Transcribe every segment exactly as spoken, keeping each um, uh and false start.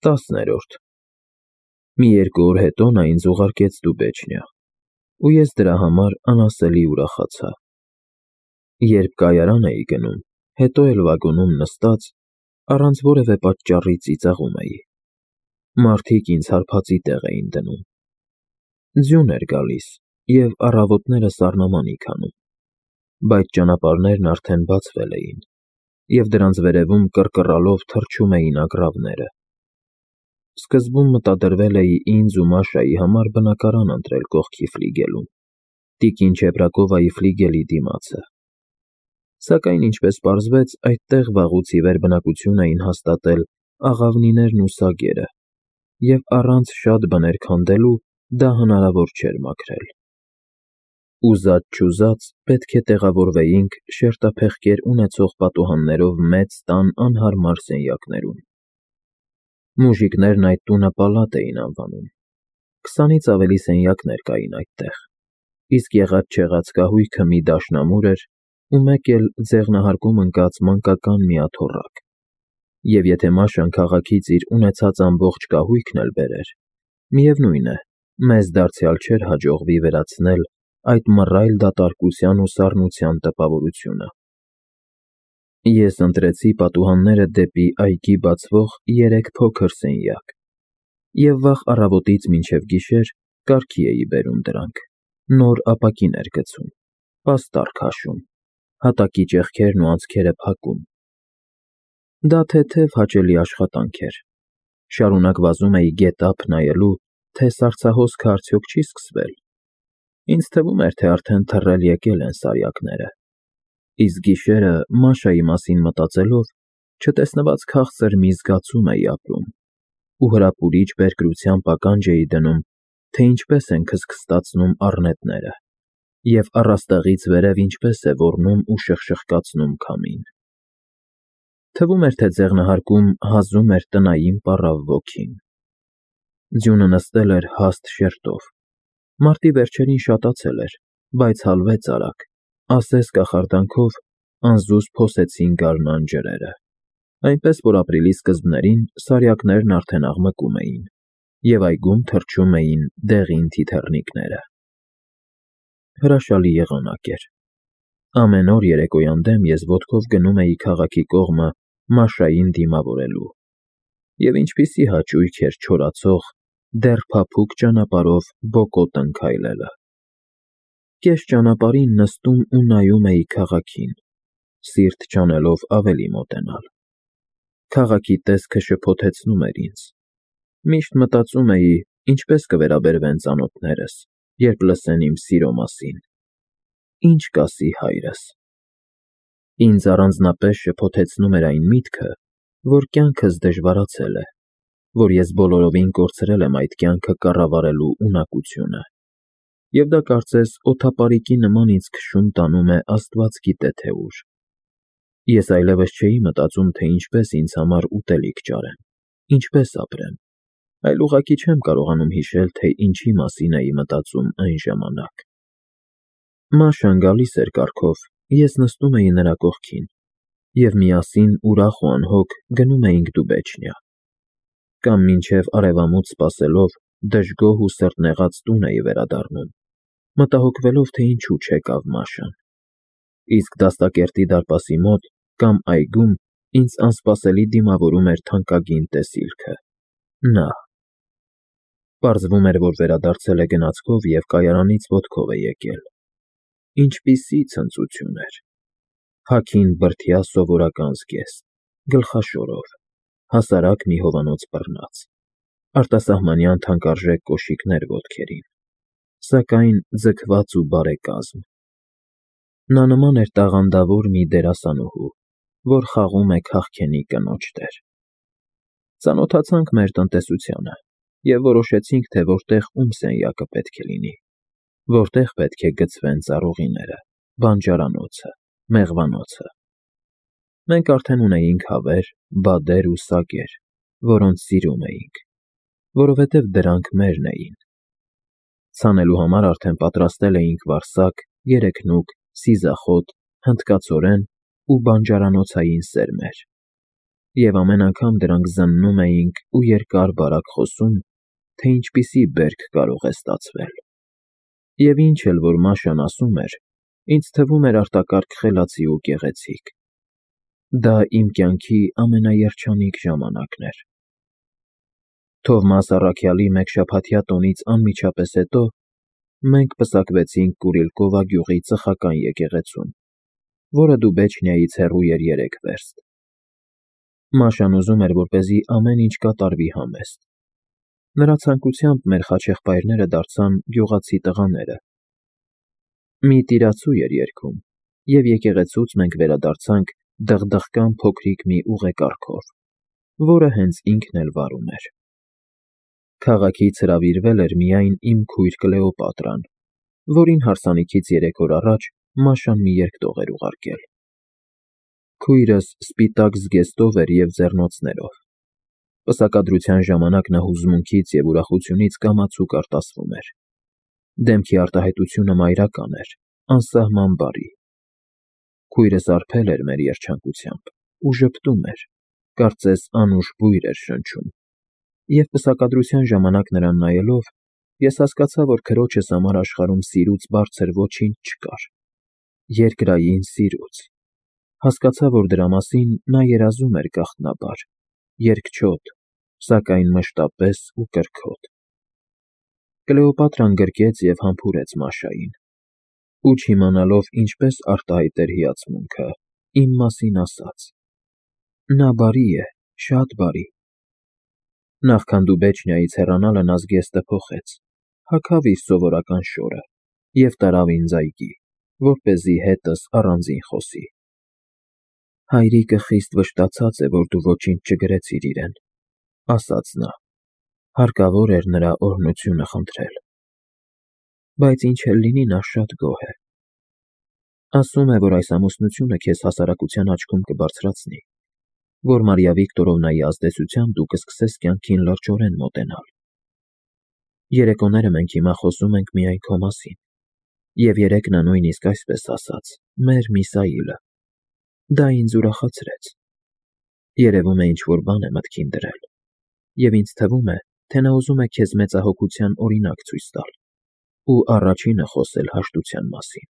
Տասներորդ Մի երկու օր հետո նա ինձ ուղարկեց Դուբեչնիա, ու ես դրա համար անասելի ուրախացա։ Երբ կայարան էի գնում, հետո էլ վագոնում նստած, առանց որևէ պատճառի ծիծաղում էի։ Մարդիկ ինձ հարբածի տեղ էին դնում։ Ձյուն էր գալիս, և առավոտները սառնամանիք անում, բայց ճանապարհներն արդեն բացվել էին, և դրանց վերևում կռկռալով թռչում էին ագռավները։ Սկզբում մտադրվել էի ինձ ու Մաշայի համար բնակարան ընտրել կողքի ֆլիգելում, տիկին Չեբրակովայի ֆլիգելի դիմացը։ Սակայն, ինչպես պարզվեց, այդտեղ վաղուց ի վեր բնակություն էին հաստատել աղավնիներն ու սագերը, և առանց շատ բներ քանդելու դա հնարավոր չէր մաքրել։ Ուզած֊չուզած պետք է տեղավորվեինք շերտափեղկեր ունեցող պատուհաններով մեծ տան անհարմար սենյակներում։ Մուժիկներն այդ տունը պալատ էին անվանում։ Քսանից ավելի սենյակներ կային այդտեղ, իսկ եղած֊չեղած կահույքը մի դաշնամուր էր ու մեկ էլ ձեղնահարկում ընկած մանկական մի աթոռակ, և եթե Մաշան քաղաքից իր ունեցած ամբողջ կահույքն էլ բերեր, միևնույն է, մեզ դարձյալ չէր հաջողվի վերացնել այդ մռայլ դատարկության ու սառնության տպավորությունը։ Ես ընտրեցի պատուհանները դեպի այգի բացվող երեք փոքր սենյակ և վաղ առավոտից մինչև գիշեր կարգի էի բերում դրանք, նոր ապակիներ գցում, պաստառ քաշում, հատակի ճեղքերն ու անցքերը փակում։ Դա թեթև հաճելի աշխատանք էր։ Շարունակ վազում էի գետափ նայելու, թե սառցահոսքը արդյոք չի սկսվել։ Ինձ թվում էր, թե արդեն թռել եկել են սարյակները, իսկ գիշերը, Մաշայի մասին մտածելով, չտեսնված քաղցր մի զգացում էի ապրում ու հրապուրիչ բերկրությամբ ականջ էի դնում, թե ինչպես են քստքստացնում առնետները և առաստաղից վերև ինչպես է ոռնում ու շխշխկացնում քամին։ Թվում էր, թե ձեղնահարկում հազում էր տնային պառավ ոգին։ Ձյունը նստել էր հաստ շերտով։ Մարտի վերջերին շատացել էր, բայց հալվեց արագ, ասես կախարդանքով անզուզ փոսեցին գարնան ջրերը, այնպես որ ապրիլի սկզբներին սարյակներն արդեն աղմկում էին, և այգում թռչում էին դեղին թիթեռնիկները։ Հրաշալի եղանակ էր։ Ամեն օր երեկոյան դեմ ես ոտքով գնում էի քաղաքի կողմը Մաշային դիմավորելու, և ինչպիսի հաճույք էր չորացող, դեռ փափուկ ճանապարհով բոկոտ քայլելը։ Կես ճանապարհին նստում ու նայում էի քաղաքին, սիրտ չանելով ավելի մոտենալ։ Քաղաքի տեսքը շփոթեցնում էր ինձ։ Միշտ մտածում էի, ինչպես կվերաբերվեն ծանոթներս, երբ լսեն իմ սիրո մասին։ Ինչ կասի հայրս։ Ինձ առանձնապես շփոթեցնում էր այն միտքը, որ կյանքս դժվարացել է, որ ես բոլորովին կորցրել եմ այդ կյանքը կառավարելու ունակությունը, և դա կարծես օդապարիկի նման ինձ քշում տանում է աստված գիտե թե ուր։ Ես այլևս չէի մտածում, թե ինչպես ինձ համար ուտելիք ճարեմ, ինչպես ապրեմ, այլ ուղղակի չեմ կարողանում հիշել, թե ինչի մասին էի մտածում այն ժամանակ։ Մաշան գալիս էր կառքով, ես նստում էի նրա կողքին, և միասին ուրախ ու անհոգ գնում էինք Դուբեչնիա։ Կամ մինչև արևամուտ սպասելով դժգոհ ու սրտնեղած տուն էի վերադառնում, մտահոգվելով, թե ինչու չեկավ Մաշան։ Իսկ դաստակերտի դարպասի մոտ կամ այգում ինձ անսպասելի դիմավորում էր թանկագին տեսիլքը՝ նա։ Պարզվում էր, որ վերադարձել է գնացքով և կայարանից ոտքով է եկել։ Ինչպիսի ցնծություն էր։ Հագին բրդյա սովորական զգեստ, գլխաշորով, հասարակ մի հովանոց բռնած, արտասահմանյան թանկարժեք կոշիկներ ոտքերին, սակայն ձգված ու բարեկազմ։ Նա նման էր տաղանդավոր մի դերասանուհու, որ խաղում է քաղքենի կնոջ դեր։ Ծանոթացանք մեր տնտեսությանը և որոշեցինք, թե որտեղ ում սենյակը պետք է լինի, որտեղ պետք է գցվեն ծառուղիները, բանջարանոցը, մեղվանոցը։ Մենք արդեն ունեինք հավեր, բադեր ու սագեր, որոնց սիրում էինք, որովհետև դրանք մերն էին։ Ցանելու համար արդեն պատրաստել էինք վարսակ, երեքնուկ, սիզախոտ, հնդկացորեն ու բանջարանոցային սերմեր։ Եվ ամեն անգամ դրանք զննում էինք ու երկար-բարակ խոսում, թե ինչպիսի բերք կարող է ստացվել։ Եվ ինչ էլ որ Մաշան ասում էր, ինձ թվում էր արտակարգ խելացի ու գեղեցիկ։ Դա իմ կյանքի ամենաերջանիկ ժամանակն էր։ Թովմաս առաքյալի մեկշաբաթյա տոնից անմիջապես հետո մենք պսակվեցինք Կուրիլկովա գյուղի ծխական եկեղեցում, որը Դուբեչնիայից հեռու էր երեք վերստ։ Մաշան ուզում էր, որպեսզի ամեն ինչ կատարվի համեստ։ Նրա ցանկությամբ մեր խաչեղբայրները դարձան գյուղացի տղաները։ Մի տիրացու էր երգում, և եկեղեցուց մենք վերադարձանք դղդղկան փոքրիկ մի ուղեկարգով, որը հենց ինքն էլ վարում էր։ Քաղաքից հրավիրվել էր միայն իմ քույր Կլեոպատրան, որին հարսանիքից երեք օր առաջ Մաշան մի երկտող էր ուղարկել։ Քույրս սպիտակ զգեստով էր և ձեռնոցներով։ Պսակադրության ժամանակ նա հուզմունքից և ուրախությունից կամացուկ արտասվում էր։ Դեմքի արտահայտությունը մայրական էր, անսահման բարի։ Քույրս արբել էր մեր երջանկությամբ ու ժպտում էր, կարծես անուշ բույր էր շնչում, և պսակադրության ժամանակ նրան նայելով, ես հասկացա, որ քրոջս համար աշխարհում սիրուց բարձր ոչինչ չկար, երկրային սիրուց։ Հասկացա, որ դրա մասին նա երազում էր գաղտնաբար, երկչոտ, սակայն մշտապես ու կրքոտ։ Կլեոպատրան գրկեց և համբուրեց Մաշային, ու չիմանալով ինչպես արտահայտեր հիացմունքը, իմ մասին ասաց. «Նա բարի է, շատ բարի»։ Նախքան Դուբեչնիայից հեռանալը նա զգեստը փոխեց, հագավ իր սովորական շորը և տարավ ինձ այգի, որպեսզի հետս առանձին խոսի։ «Հայրիկը խիստ վշտացած է, որ դու ոչինչ չգրեցիր իրեն», ֊ ասաց նա, հարկավոր էր նրա օրհնությունը խնդրել։ «Բայց ինչ էլ լինի, նա շատ գոհ է։ Ասում է, որ այս ամուսնությունը քեզ հասարակության աչքում կբարձրացնի, որ Մարիա Վիկտորովնայի ազդեցությամբ դու կսկսես կյանքին լրջորեն մոտենալ։ Երեկոները մենք հիմա խոսում ենք միայն քո մասին, և երեկ նա նույնիսկ այսպես ասաց. մեր Միսաիլը։ Դա ինձ ուրախացրեց։ Երևում է ինչ-որ բան է մտքին դրել, և ինձ թվում է, թե նա ուզում է քեզ մեծահոգության օրինակ ցույց տալ ու առաջինը խոսել հաշտության մասին։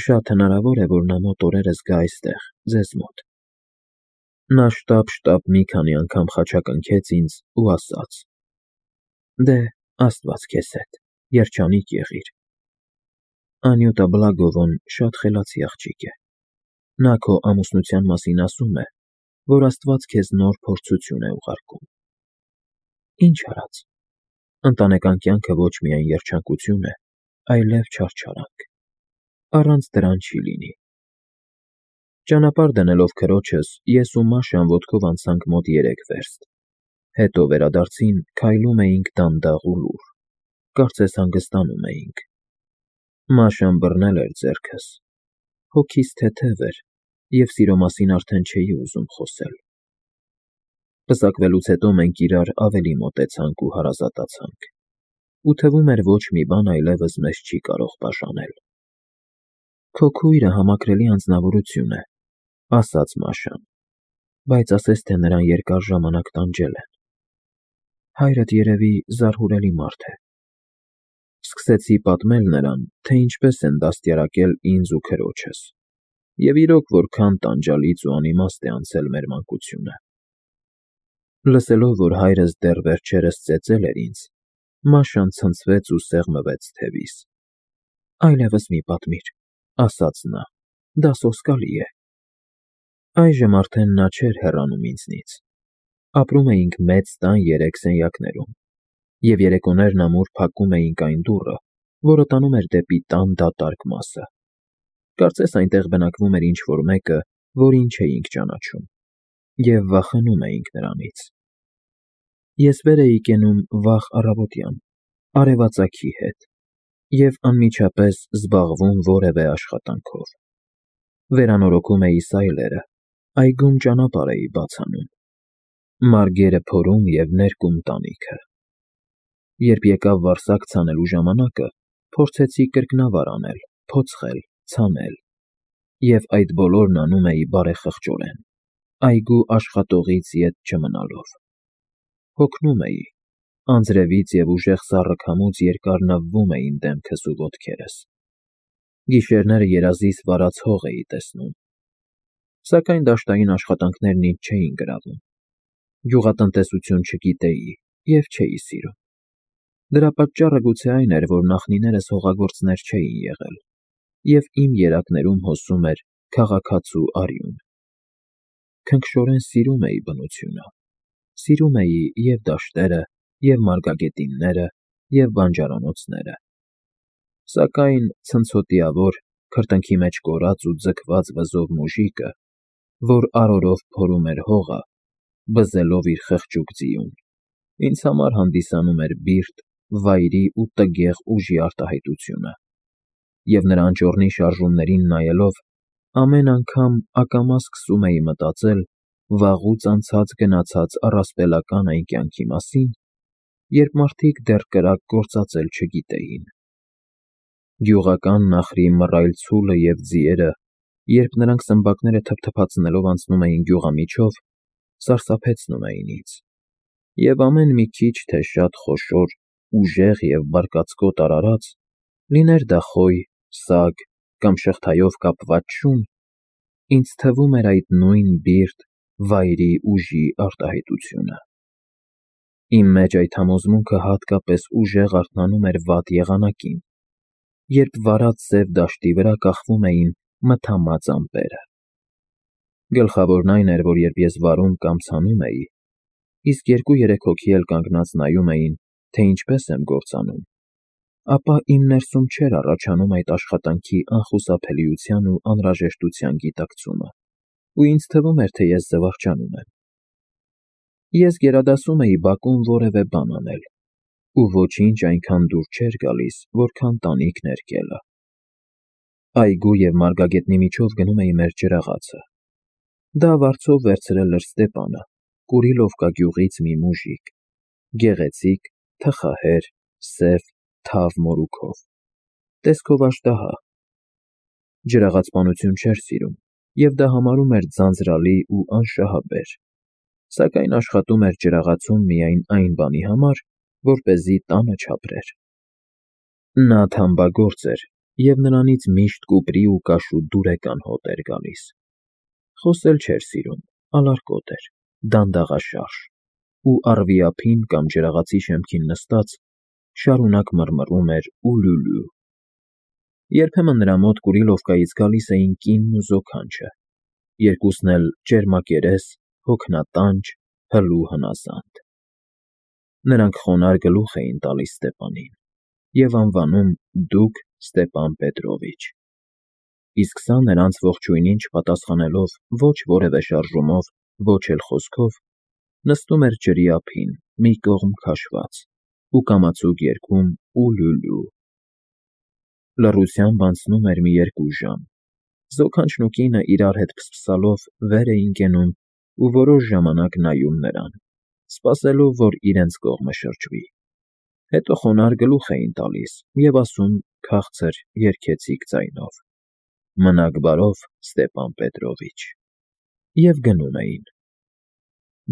Շատ հնարավոր է, որ նա մոտ օրերս գա այստեղ, ձեզ մոտ»։ Նա շտապ-շտապ մի քանի անգամ խաչակնքեց ինձ ու ասաց. «Դե, Աստված քեզ հետ, երջանիկ եղիր։ Անյուտա Բլագովոն շատ խելացի աղջիկ է։ Նա քո ամուսնության մասին ասում է, որ Աստված քեզ նոր փորձություն է ուղարկում։ Ինչ արած, ընտանեկան կյանքը ոչ միայն երջանկություն է, այլև չարչարանք։ Առանց դրան չի լինի»։ Ճանապարհ դնելով քրոջս, ես ու Մաշան ոտքով անցանք մոտ երեք վերստ, հետո վերադարձին քայլում էինք դանդաղ ու լուռ, կարծես հանգստանում էինք։ Մաշան բռնել էր ձեռքս, հոգիս թեթև էր, և սիրո մասին արդեն չէի ուզում խոսել։ Պսակվելուց հետո մենք իրար ավելի մոտեցանք ու հարազատացանք, ու թվում էր ոչ մի բան այլևս մեզ չի կարող բաժանել։ «Քո քույրը համակրելի անձնավորություն է», ֊ ասաց Մաշան, «բայց ասես թե նրան երկար ժամանակ տանջել են։ Հայրդ երևի զարհուրելի մարդ է»։ Սկսեցի պատմել նրան, թե ինչպես են դաստիարակել ինձ ու քրոջս, և իրոք որքան տանջալից ու անիմաստ է անցել մեր մանկությունը։ Լսելով, որ հայրս դեռ վերջերս ծեծել էր ինձ, Մաշան ցնցվեց ու սեղմվեց թևիս։ «Այլևս մի պատմիր», ֊ ասաց նա, «դա սոսկալի է»։ Այժմ արդեն նա չէր հեռանում ինձնից։ Ապրում էինք մեծ տան երեք սենյակներում, և երեկոներն ամուր փակում էինք այն դուռը, որը տանում էր դեպի տան դատարկ մասը։ Կարծես այնտեղ բնակվում էր ինչ֊որ մեկը, որին չէինք ճանաչում, և վախենում էինք նրանից։ Ես վեր էի կենում վաղ առավոտյան, արևածագի հետ, և անմիջապես զբաղվում որևէ աշխատանքով։ Վերանորոգում էի սայլերը, այգում ճանապարհ էի բաց անում, մարգերը փորում և ներկում տանիքը։ Երբ եկավ վարսակ ցանելու ժամանակը, փորձեցի կրկնավար անել, փոցխել, ցանել, և այդ բոլորն անում էի բարեխղճորեն, այգու աշխատողից ետ չմնալով։ Հոգնում էի, անձրևից և ուժեղ սառը քամուց երկար նվվում էին դեմքս ու ոտքերս։ Գիշերները երազիս վարած հող էի տեսնում։ Սակայն դաշտային աշխատանքներն ինձ չէին գրավում։ Գյուղատնտեսություն չգիտեի և չէի սիրում։ Դրա պատճառը գուցե այն էր, որ նախնիներս հողագործներ չէին եղել, և իմ երակներում հոսում էր քաղաքացու արյուն։ Քնքշորեն սիրում էի բնությունը։ Սիրում էի և դաշտերը, և մարգագետինները, և բանջարանոցները։ Սակայն ցնցոտիավոր, քրտինքի մեջ կորած ու ձգված վզով մուժիկը, որ արորով փորում էր հողը, բզելով իր խղճուկ ձիուն, ինձ համար հանդիսանում էր բիրտ, վայրի ու տգեղ ուժի արտահայտությունը, և նրա անճոռնի շարժումներին նայելով, ամեն անգամ ակամա սկսում էի մտածել վաղուց անցած֊գնացած առասպելական այն կյանքի մասին, երբ մարդիկ դեռ կրակ գործածել չգիտեին։ Գյուղական նախրի մռայլ ցուլը և ձիերը, երբ նրանք սմբակները թփթփացնելով անցնում էին գյուղամիջով, սարսափեցնում էին ինձ, և ամեն մի քիչ թե շատ խոշոր, ուժեղ և բարկացկոտ արարած, լիներ դա խոյ, սագ կամ շղթայով կապված շուն, ինձ թվում էր այդ նույն բիրտ, վայրի ուժի արտահայտությունը։ Իմ մեջ այդ համոզմունքը հատկապես ուժեղ արթնանում էր վատ եղանակին, երբ վարած սև դաշտի վրա կախվում էին մթամած ամպերը։ Գլխավորն այն էր, որ երբ ես վարում կամ ցանում էի, իսկ երկու֊երեք հոգի էլ կանգնած նայում էին, թե ինչպես եմ գործանում, ապա իմ ներսում չէր առաջանում այդ աշխատանքի անխուսափելիության ու անհրաժեշտության գիտակցումը, ու ինձ թվում էր, թե ես զվարճանում եմ։ Ես գերադասում էի բակում որևէ բան անել, ու ոչինչ այնքան դուր չէր գալիս, որքան տանիք ներկելը։ Այգու և մարգագետնի միջով գնում էի մեր ջրաղացը։ Դա վարձով վերցրել էր Ստեպանը, Կուրիլովկա գյուղից մի մուժիկ, գեղեցիկ, թխահեր, սև, թավ մորուքով, տեսքով աժդահա։ Ջրաղացպանություն չէր սիրում և դա համարում էր ձանձրալի ու անշահաբեր, սակայն աշխատում էր ջրաղացում միայն այն բանի համար, որպեսզի տանը չապրեր։ Նա թամբագործ էր, և նրանից միշտ կուպրի ու կաշու դուրեկան հոտ էր գալիս։ Խոսել չէր սիրում, ալարկոտ էր, դանդաղաշարժ ու առվի ափին կամ ջրաղացի շեմքին նստած, շարունակ մռմռում էր ուլուլու։ Երբեմն նրա մոտ Կուրիլովկայից գալիս էին կինն ու զոքանչը, երկուսն էլ ճերմակերես, հոգնատանջ, հլու հնասանդ։ Նրանք խոնարհ գլուխ էին տալիս Ստեպանին և անվանում դուկ Ստեպան Պետրովիչ, իսկ սա նրանց ողջույնին չպատասխանելով ոչ որևէ շարժումով, ոչ էլ խոսքով, նստում էր ջրի ափին, մի կողմ քաշված, ու կամացուկ երգում ուլուլու։ Լռությամբ անցնում էր մի երկու ժամ, զոքանչն ու կինը իրար հետ փսփսալով վեր էին կենում ու որոշ ժամանակ նայում նրան, սպասելով, որ իրենց կողմը շրջվի, հետո խոնարհ գլուխ էին տալիս և ասում քաղցր, երգեցիկ ձայնով. «Մնաք բարով, Ստեպան Պետրովիչ», և գնում էին։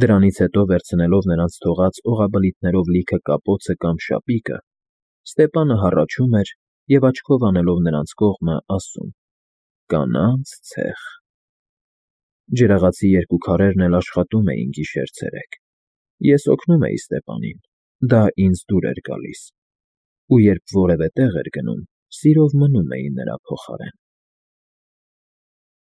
Դրանից հետո, վերցնելով նրանց թողած օղաբլիթներով լիքը կապոցը կամ շապիկը, Ստեպանը հառաչում էր և աչքով անելով նրանց կողմը, ասում. «Կանանց ցեխ»։ Ջրաղացի երկու քարերն էլ աշխատում էին գիշեր֊ցերեկ։ Ես օգնում էի Ստեպանին, դա ինձ դուր էր գալիս, ու երբ որևէ տեղ էր գնում, սիրով մնում էի նրա փոխարեն։